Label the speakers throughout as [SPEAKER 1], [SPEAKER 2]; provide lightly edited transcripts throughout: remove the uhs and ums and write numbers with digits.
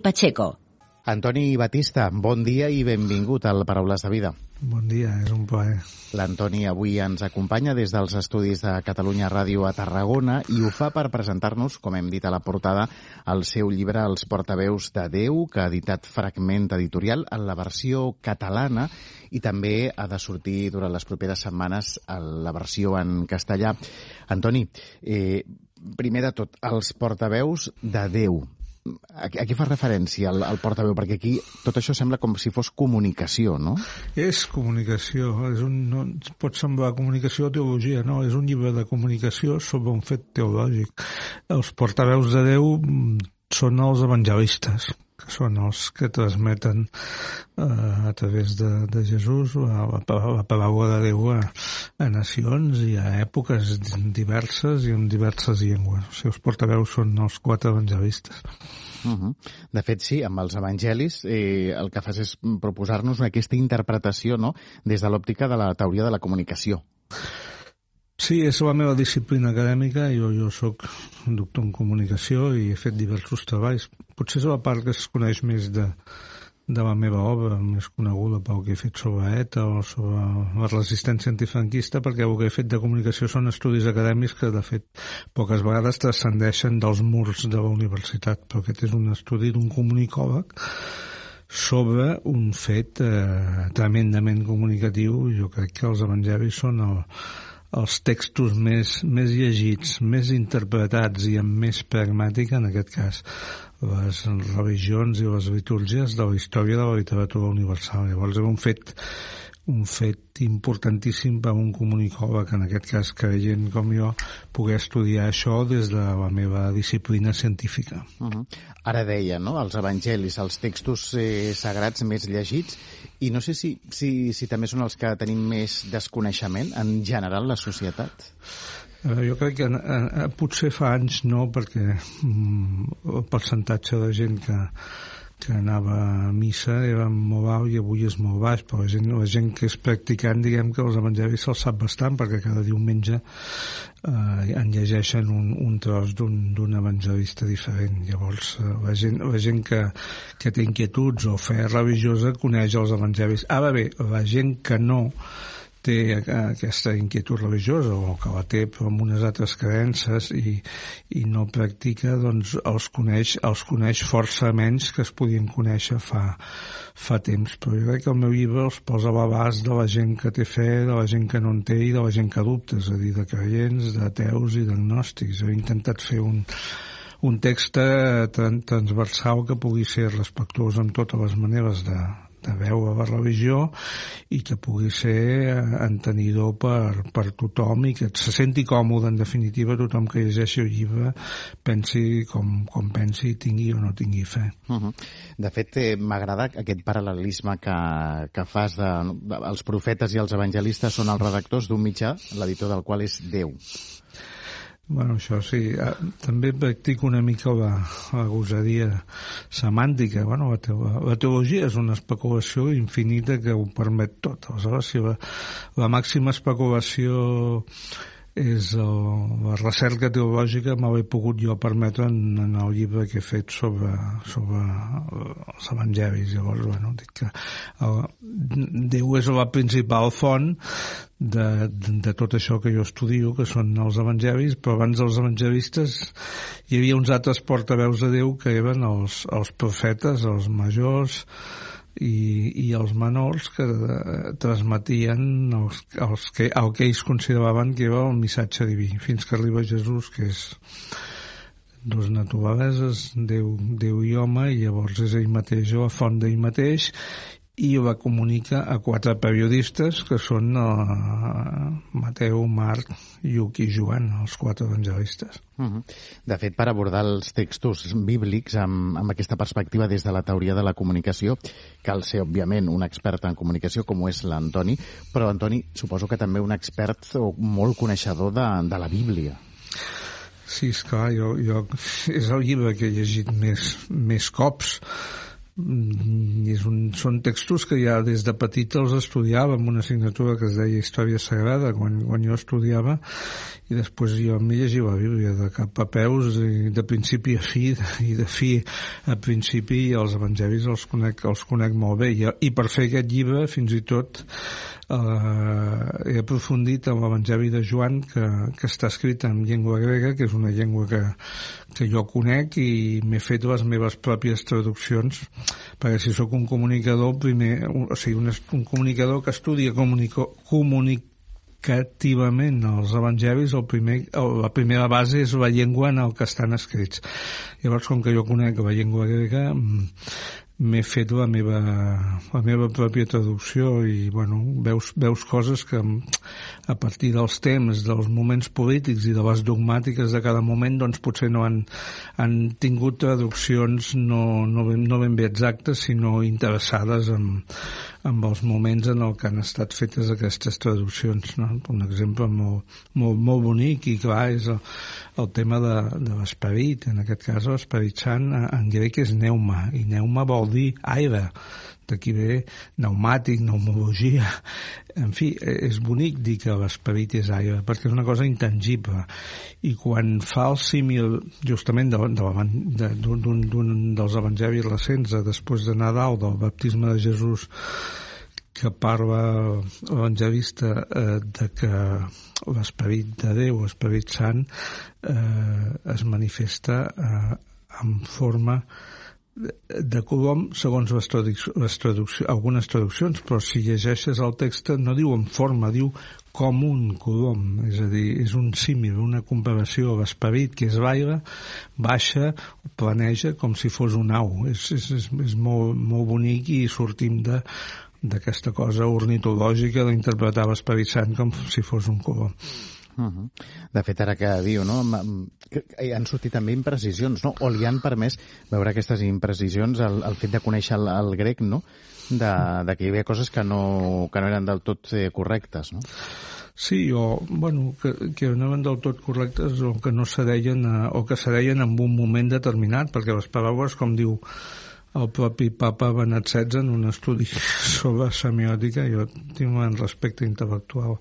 [SPEAKER 1] Pacheco.
[SPEAKER 2] Antoni Batista, bon dia i benvingut al Paraules de Vida.
[SPEAKER 3] Bon dia, és un plaer.
[SPEAKER 2] L'Antoni avui ens acompanya des dels estudis de Catalunya Ràdio a Tarragona i ho fa per presentar-nos, com hem dit a la portada, el seu llibre Els portaveus de Déu, que ha editat Fragment Editorial en la versió catalana i també ha de sortir durant les properes setmanes la versió en castellà. Antoni, primer de tot, Els portaveus de Déu. A què fa referència el portaveu? Perquè aquí tot això sembla com si fos comunicació, no?
[SPEAKER 3] És comunicació. No pot semblar comunicació o teologia, no. És un llibre de comunicació sobre un fet teològic. Els portaveus de Déu són els evangelistes, que són els que transmeten a través de Jesús la paraula de Déu a nacions i a èpoques diverses i en diverses llengües. Els seus portaveus són els 4 evangelistes.
[SPEAKER 2] De fet, sí, amb els evangelis el que fas és proposar-nos aquesta interpretació, no?, des de l'òptica de la teoria de la comunicació.
[SPEAKER 3] Sí, és la meva disciplina acadèmica. Jo soc doctor en comunicació i he fet diversos treballs. Potser és la part que es coneix més de la meva obra, més coneguda pel que he fet sobre ETA o sobre la resistència antifranquista, perquè el que he fet de comunicació són estudis acadèmics que, de fet, poques vegades transcendeixen dels murs de la universitat. Però aquest és un estudi d'un comunicòleg sobre un fet tremendament comunicatiu. Jo crec que els evangelis són els textos més llegits, més interpretats i amb més pragmàtica, en aquest cas, les religions i les litúrgies de la història de la literatura universal. Llavors és un fet importantíssim per un comunicòleg, en aquest cas creient com jo, poder estudiar això des de la meva disciplina científica.
[SPEAKER 2] Ara deia, no?, els evangelis, els textos sagrats més llegits, i no sé si també són els que tenim més desconeixement en general la societat.
[SPEAKER 3] Jo crec que potser fa anys no, perquè el percentatge de gent que anava a missa era molt alt i avui és molt baix, però la gent que és practicant, diguem que els evangelis se'ls sap bastant, perquè cada diumenge en llegeixen un tros d'un evangelista diferent. Llavors la gent que té inquietuds o fe religiosa coneix els evangelis. Ara bé, la gent que no té aquesta inquietud religiosa o que la té però amb unes altres creences i no practica, doncs els coneix força menys que es podien conèixer fa temps. Però jo crec que el meu llibre els posa a l'abast de la gent que té fe, de la gent que no en té i de la gent que dubta, és a dir, de creients, d'ateus i d'agnòstics. He intentat fer un text transversal que pugui ser respectuós amb totes les maneres de veure la religió i que pugui ser entenidor per tothom i que se senti còmode, en definitiva, tothom que llegeixi el llibre pensi com pensi, tingui o no tingui fe.
[SPEAKER 2] De fet, m'agrada aquest paral·lelisme que fas els profetes i els evangelistes són els redactors d'un mitjà, l'editor del qual és Déu.
[SPEAKER 3] Bueno, això sí. També practico una mica la gosadia semàntica. Bueno, la teologia és una especulació infinita que ho permet tot. Aleshores, si la màxima especulació és la recerca teològica, me l'he pogut jo permetre en el llibre que he fet sobre els evangelis. Llavors, bueno, dic que Déu és la principal font de tot això que jo estudio, que són els evangelis, però abans dels evangelistes hi havia uns altres portaveus de Déu que eren els profetes, els majors i els menors, que transmetien el que ells consideraven que era el missatge diví, fins que arriba Jesús, que és dos naturaleses, Déu i home, i llavors és ell mateix, la font d'ell mateix, i la comunica a 4 periodistes que són Mateu, Marc, Lluc i Joan, els 4 evangelistes.
[SPEAKER 2] De fet, per abordar els textos bíblics amb aquesta perspectiva des de la teoria de la comunicació, cal ser, òbviament, un expert en comunicació com ho és l'Antoni, però, Antoni, suposo que també un expert o molt coneixedor de la Bíblia.
[SPEAKER 3] Sí, esclar, jo és el llibre que he llegit més cops, són textos que ja des de petit els estudiava en una assignatura que es deia Història Sagrada quan jo estudiava, i després jo m'he llegit la Bíblia de cap a peus, i de principi a fi, i de fi a principi, i els evangelis els conec molt bé, i per fer aquest llibre fins i tot he aprofundit en l'Evangeli de Joan, que està escrit en llengua grega, que és una llengua que jo conec, i m'he fet les meves pròpies traduccions, perquè si sóc un comunicador, un comunicador que estudia comunicativament els evangelis, la primera base és la llengua en el que estan escrits. Llavors, com que jo conec la llengua grega, m'he fet la meva pròpia traducció, i bueno, veus coses que a partir dels temps, dels moments polítics i de les dogmàtiques de cada moment, doncs potser no han tingut traduccions no ben bé exactes, sinó interessades amb els moments en el que han estat fetes aquestes traduccions, no? Un exemple molt bonic i clar és el tema de l'esperit. En aquest cas l'esperit sant en grec és pneuma, i pneuma vol dir aire, d'aquí ve pneumàtic, pneumologia. En fi, és bonic dir que l'esperit és aire, perquè és una cosa intangible. I quan fa el símil justament d'un dels evangelis recents, després de Nadal, del baptisme de Jesús, que parla l'evangelista de que l'esperit de Déu, l'esperit sant, es manifesta en forma de colom, segons algunes traduccions, però si llegeixes el text no diu en forma, diu com un colom, és a dir, és un símil, una comparació. L'esperit, que és l'aire, baixa, planeja com si fos un au. És molt bonic, i sortim d'aquesta cosa ornitològica d'interpretar l'esperit sant com si fos un colom.
[SPEAKER 2] De fet, ara que diu, no? Han sortit també imprecisions, no? O li han permès veure aquestes imprecisions, el fet de conèixer el grec, no? De que hi havia coses que no eren del tot correctes, no?
[SPEAKER 3] Sí, que no eren del tot correctes, o que no se deien, o que se deien en un moment determinat, perquè les paraules, com diu el propi papa Benet XVI en un estudi sobre semiòtica, jo tinc un respecte intel·lectual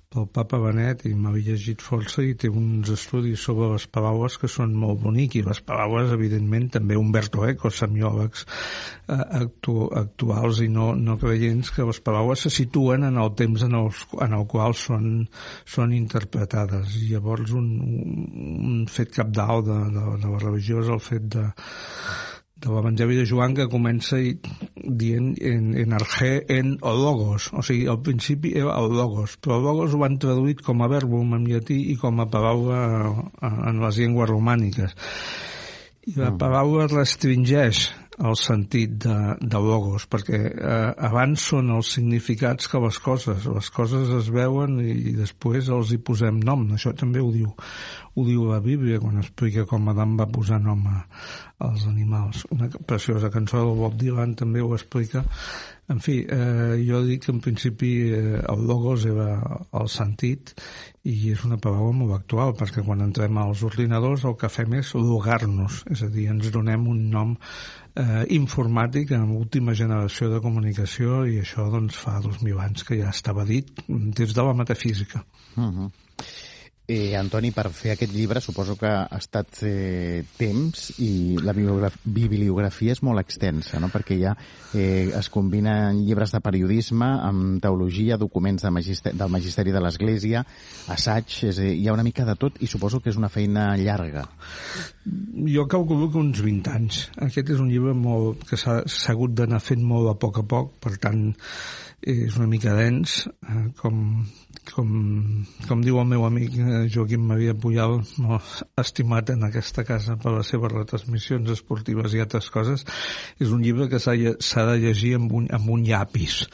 [SPEAKER 3] pel papa Benet, i m'havia llegit força, i té uns estudis sobre les paraules que són molt bonics, i les paraules, evidentment, també Umberto Eco, semiòlegs actuals i no creients, que les paraules se situen en el temps en el qual són interpretades. I llavors un fet cabdal de la religió és el fet de l'Evangeli de Joan, que comença dient en argé en o logos, o sigui, al principi era el logos, però el logos ho han traduït com a verbum en llatí i com a paraula en les llengües romàniques. I la paraula restringeix el sentit de logos, perquè abans són els significats que les coses es veuen i després els hi posem nom. Això també ho diu la Bíblia quan explica com Adam va posar nom als animals. Una preciosa cançó del Bob Dylan també ho explica. En fi, jo dic que en principi el logos era el sentit, i és una paraula molt actual, perquè quan entrem als ordinadors el que fem és logar-nos, és a dir, ens donem un nom informàtic en l'última generació de comunicació, i això doncs fa 2000 anys que ja estava dit des de la metafísica.
[SPEAKER 2] Antoni, per fer aquest llibre suposo que ha estat temps, i la bibliografia és molt extensa, no? Perquè ja es combinen llibres de periodisme amb teologia, documents del Magisteri de l'Església, assaig, hi ha una mica de tot, i suposo que és una feina llarga.
[SPEAKER 3] Jo calculo que uns 20 anys. Aquest és un llibre que s'ha hagut d'anar fent molt a poc, per tant és una mica dens, com diu el meu amic Joaquim Maria Pujal, molt estimat en aquesta casa per les seves retransmissions esportives i altres coses. És un llibre que s'ha de llegir amb un llapis.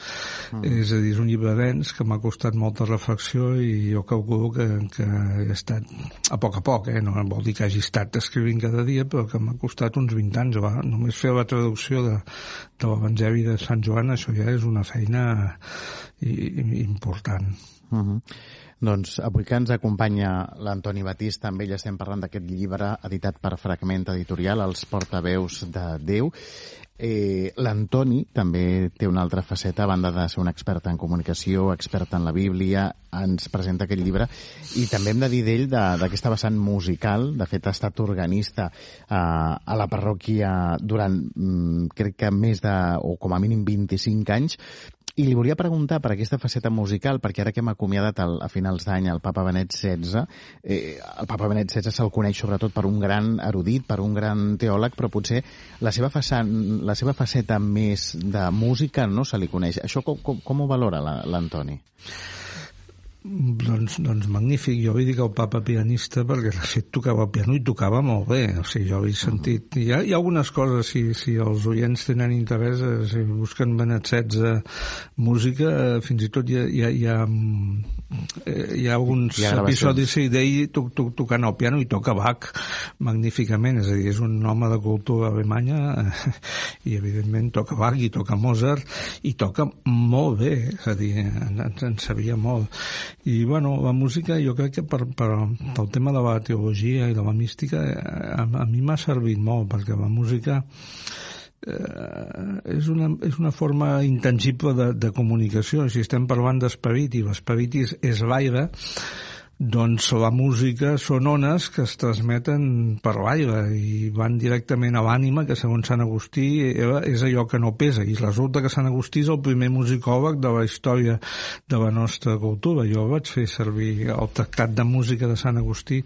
[SPEAKER 3] És a dir, és un llibre dens que m'ha costat molta reflexió, i jo calculo que he estat a poc, no vol dir que hagi estat escrivint cada dia, però que m'ha costat uns 20 anys. Només fer la traducció de l'Evangeli de Sant Joan, això ja és una feina important.
[SPEAKER 2] Doncs avui que ens acompanya l'Antoni Batista, amb ell estem parlant d'aquest llibre editat per Fragment Editorial, Els portaveus de Déu. L'Antoni també té una altra faceta, a banda de ser un expert en comunicació, expert en la Bíblia, ens presenta aquest llibre, i també hem de dir d'ell d'aquesta vessant musical. De fet, ha estat organista a la parròquia durant, crec que més de, o com a mínim 25 anys, i li volia preguntar per aquesta faceta musical, perquè ara que hem acomiadat a finals d'any el papa Benet XVI, el papa Benet XVI se'l coneix sobretot per un gran erudit, per un gran teòleg, però potser la seva faceta més de música no se li coneix. Això com ho valora l'Antoni?
[SPEAKER 3] Doncs magnífic. Jo vull dir que el papa pianista, perquè de fet tocava el piano i tocava molt bé. O sigui, jo he sentit... Hi ha algunes coses, si els oients tenen interès, si busquen Benet XVI música, fins i tot hi ha alguns episodis d'ell tocant el piano, i toca Bach magníficament. És a dir, és un home de cultura alemanya i evidentment toca Bach i toca Mozart i toca molt bé, és a dir, en sabia molt. I bueno, la música, jo crec que pel tema de la teologia i de la mística, a mi m'ha servit molt, perquè la música és una forma intangible de comunicació. Si estem parlant d'esperit, i l'esperit és l'aire, doncs la música són ones que es transmeten per l'aire i van directament a l'ànima, que segons Sant Agustí és allò que no pesa, i resulta que Sant Agustí és el primer musicòleg de la història de la nostra cultura. Jo vaig fer servir el tractat de música de Sant Agustí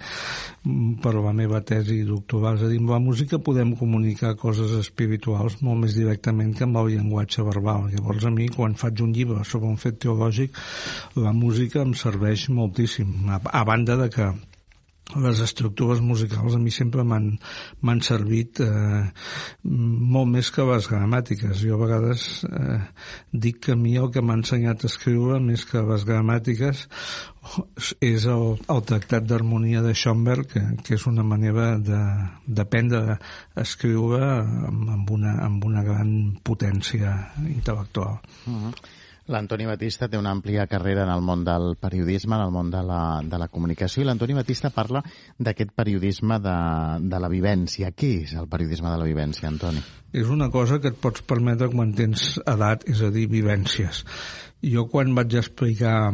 [SPEAKER 3] per la meva tesi doctoral. És a dir, amb la música podem comunicar coses espirituals molt més directament que amb el llenguatge verbal. Llavors, a mi, quan faig un llibre sobre un fet teològic, la música em serveix moltíssim, a banda de que les estructures musicals a mi sempre m'han servit molt més que les gramàtiques. Jo a vegades dic que a mi el que m'ha ensenyat a escriure més que les gramàtiques és el tractat d'harmonia de Schoenberg, que és una manera d'aprendre a escriure amb una gran potència intel·lectual.
[SPEAKER 2] L'Antoni Batista té una àmplia carrera en el món del periodisme, en el món de la comunicació, i l'Antoni Batista parla d'aquest periodisme de la vivència. Què és el periodisme de la vivència, Antoni?
[SPEAKER 3] És una cosa que et pots permetre quan tens edat, és a dir, vivències. Jo quan vaig explicar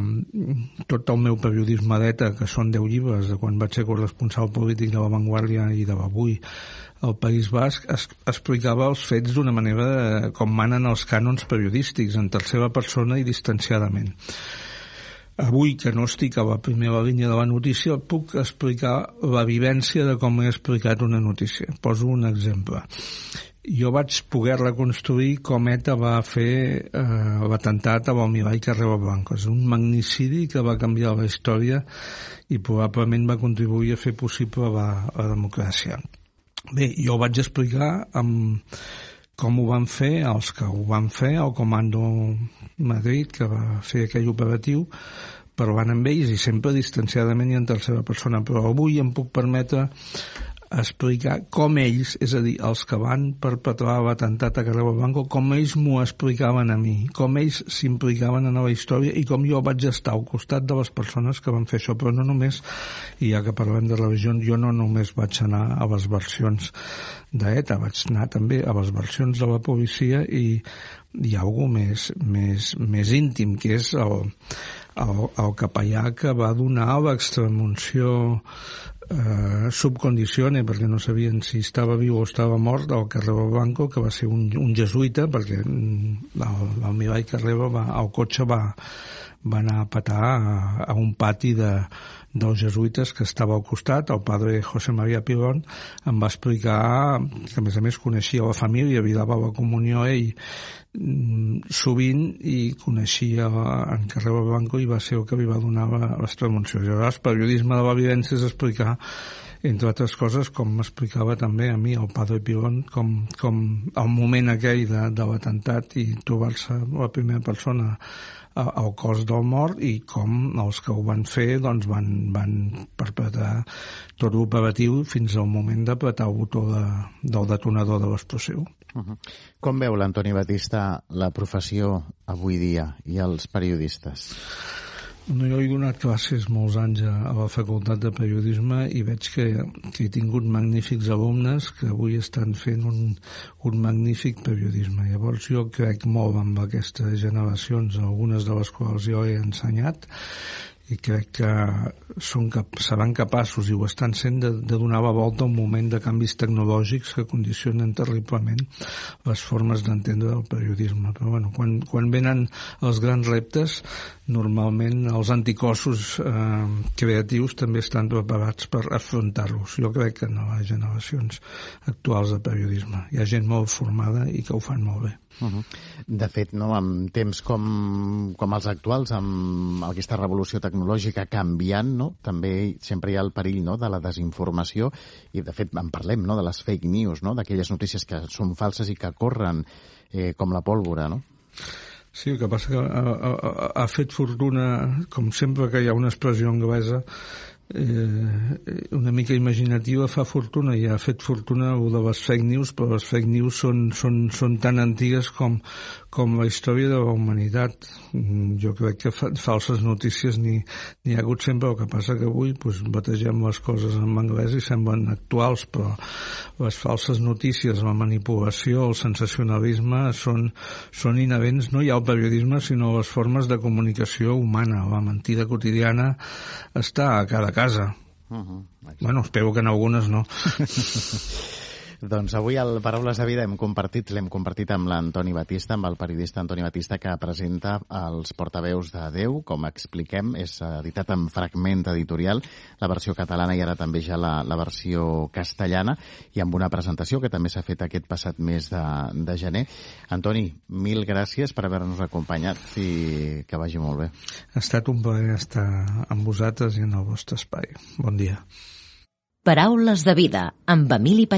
[SPEAKER 3] tot el meu periodisme d'ETA, que són 10 llibres, de quan vaig ser corresponsal polític de La Vanguardia i de l'Avui, al País Basc, explicava els fets d'una manera com manen els cànons periodístics, en tercera persona i distanciadament. Avui, que no estic a la primera línia de la notícia, puc explicar la vivència de com he explicat una notícia. Poso un exemple. Jo vaig poder reconstruir com ETA va fer l'atemptat a l'Almirall Carrero Blanco. És un magnicidi que va canviar la història i probablement va contribuir a fer possible la democràcia. Bé, jo vaig explicar com ho van fer els que ho van fer, el Comando Madrid, que va fer aquell operatiu, parlant amb ells i sempre distanciadament i en tercera persona. Però avui em puc permetre explicar com ells, és a dir, els que van perpetrar l'atemptat a Carrero Blanco, com ells m'ho explicaven a mi, com ells s'implicaven en la història i com jo vaig estar al costat de les persones que van fer això. Però no només, i ja que parlem de religions, jo no només vaig anar a les versions d'ETA, vaig anar també a les versions de la policia i hi ha alguna més íntim, que és el capellà que va donar l'extremunció sub condicione, perquè no sabien si estava viu o estava mort, al Carrero Blanco, que va ser un jesuïta, perquè l'almirall Carrero el cotxe va anar a petar a un pati dels jesuïtes que estava al costat. El padre José María Pilón em va explicar que, a més coneixia la família, havia de la comunió ell sovint i coneixia en Carrero Blanco i va ser el que li va donar l'extremunció. Llavors, el periodisme de la vivència és explicar, entre altres coses, com m'explicava també a mi el padre Pilón, com el moment aquell de l'atemptat i trobar-se la primera persona al cos del mort i com els que ho van fer doncs van perpetrar tot l'operatiu fins al moment d'apretar el botó del detonador de l'explosiu.
[SPEAKER 2] Com veu l'Antoni Batista la professió avui dia i els periodistes?
[SPEAKER 3] No, jo he donat classes molts anys a la Facultat de Periodisme i veig que he tingut magnífics alumnes que avui estan fent un magnífic periodisme. Llavors jo crec molt amb aquestes generacions, algunes de les quals jo he ensenyat, i crec que seran capaços, i ho estan sent, de donar la volta a un moment de canvis tecnològics que condicionen terriblement les formes d'entendre el periodisme. Però bueno, quan venen els grans reptes, normalment els anticossos creatius també estan preparats per afrontar-los. Jo crec que en les generacions actuals de periodisme hi ha gent molt formada i que ho fan molt bé.
[SPEAKER 2] De fet, no, en temps com els actuals, amb aquesta revolució tecnològica canviant, no, també sempre hi ha el perill, no, de la desinformació, i de fet en parlem, no, de les fake news, no, d'aquelles notícies que són falses i que corren com la pólvora, no?
[SPEAKER 3] Sí, el que passa que ha fet fortuna, com sempre que hi ha una expressió anglesa, una mica imaginativa, fa fortuna, i ha fet fortuna de les fake news, però les fake news són tan antigues com la història de la humanitat. Jo crec que falses notícies n'hi ha hagut sempre. El que passa que avui bategem les coses en anglès i semblen actuals, però les falses notícies, la manipulació, el sensacionalisme són inherents no ja al periodisme, sinó a les formes de comunicació humana. La mentida quotidiana està a cada casa. Bueno, espero que en algunes no.
[SPEAKER 2] Doncs avui al Paraules de Vida l'hem compartit amb l'Antoni Batista, amb el periodista Antoni Batista, que presenta els Portaveus de Déu. Com expliquem, és editat en Fragment Editorial, la versió catalana i ara també ja la versió castellana, i amb una presentació que també s'ha fet aquest passat mes de gener. Antoni, mil gràcies per haver-nos acompanyat i que vagi molt bé.
[SPEAKER 3] Ha estat un plaer estar amb vosaltres i en el vostre espai. Bon dia.
[SPEAKER 1] Paraules de Vida, amb Emili Pacheco.